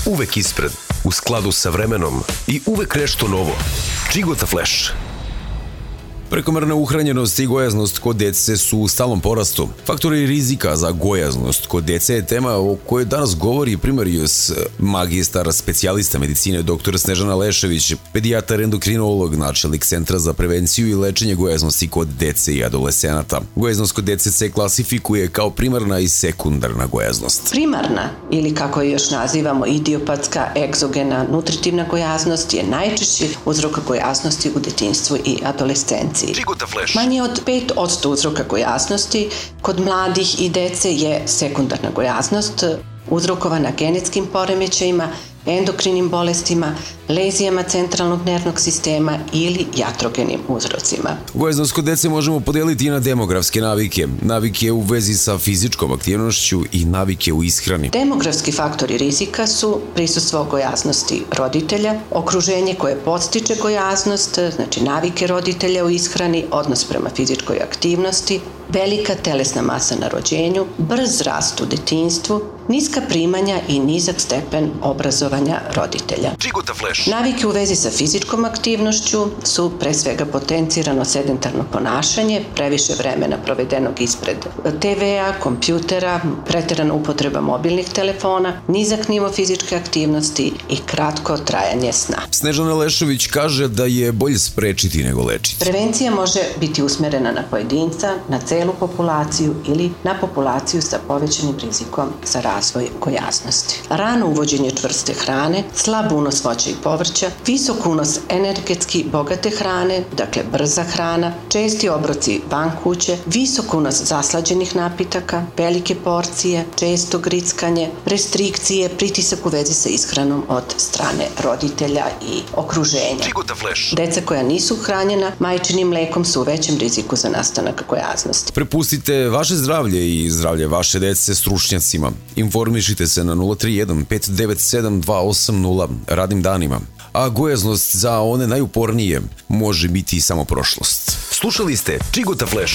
Uvek ispred, u skladu sa vremenom i uvek nešto novo. Čigota Flash. Prekomerna uhranjenost i gojaznost kod dece su u stalnom porastu. Faktori rizika za gojaznost kod dece je tema o kojoj danas govori primarius magistar specijalista medicine dr. Snežana Lešević, pedijatar endokrinolog, načelnik Centra za prevenciju i lečenje gojaznosti kod dece i adolescenata. Gojaznost kod dece se klasifikuje kao primarna i sekundarna gojaznost. Primarna, ili kako je još nazivamo idiopatska, egzogena, nutritivna gojaznost je najčešći uzrok gojaznosti u detinjstvu i adolescenciji. Manje od 5% uzroka gojaznosti kod mladih i dece je sekundarna gojaznost, uzrokovana genetskim poremećajima, endokrinim bolestima, lezijama centralnog nervnog sistema ili jatrogenim uzrocima. Gojaznost kod dece možemo podeliti i na demografske navike. Navike u vezi sa fizičkom aktivnošću i navike u ishrani. Demografski faktori rizika su prisustvo gojaznosti roditelja, okruženje koje podstiče gojaznost, znači navike roditelja u ishrani, odnos prema fizičkoj aktivnosti, velika telesna masa na rođenju, brz rast u detinjstvu, niska primanja i nizak stepen obrazovanja roditelja. Navike u vezi sa fizičkom aktivnošću su pre svega potencirano sedentarno ponašanje, previše vremena provedenog ispred TV-a, kompjutera, preterana upotreba mobilnih telefona, nizak nivo fizičke aktivnosti i kratko trajanje sna. Snežana Lešević kaže da je bolje sprečiti nego lečiti. Prevencija može biti usmerena na pojedinca, na celu populaciju ili na populaciju sa povećanim rizikom za razvoj gojaznosti. Rano uvođenje čvrste hrane, slab unos voća i povrća, visok unos energetski bogate hrane, dakle brza hrana, česti obroci van kuće, visok unos zaslađenih napitaka, velike porcije, često grickanje, restrikcije, pritisak u vezi sa ishranom od strane roditelja i okruženja. Deca koja nisu hranjena majčinim mlekom su u većem riziku za nastanak gojaznosti. Prepustite vaše zdravlje i zdravlje vaše dece stručnjacima. Informišite se na 031 597 280 radnim danima. A gojaznost za one najupornije može biti samo prošlost. Slušali ste Čigota Flash.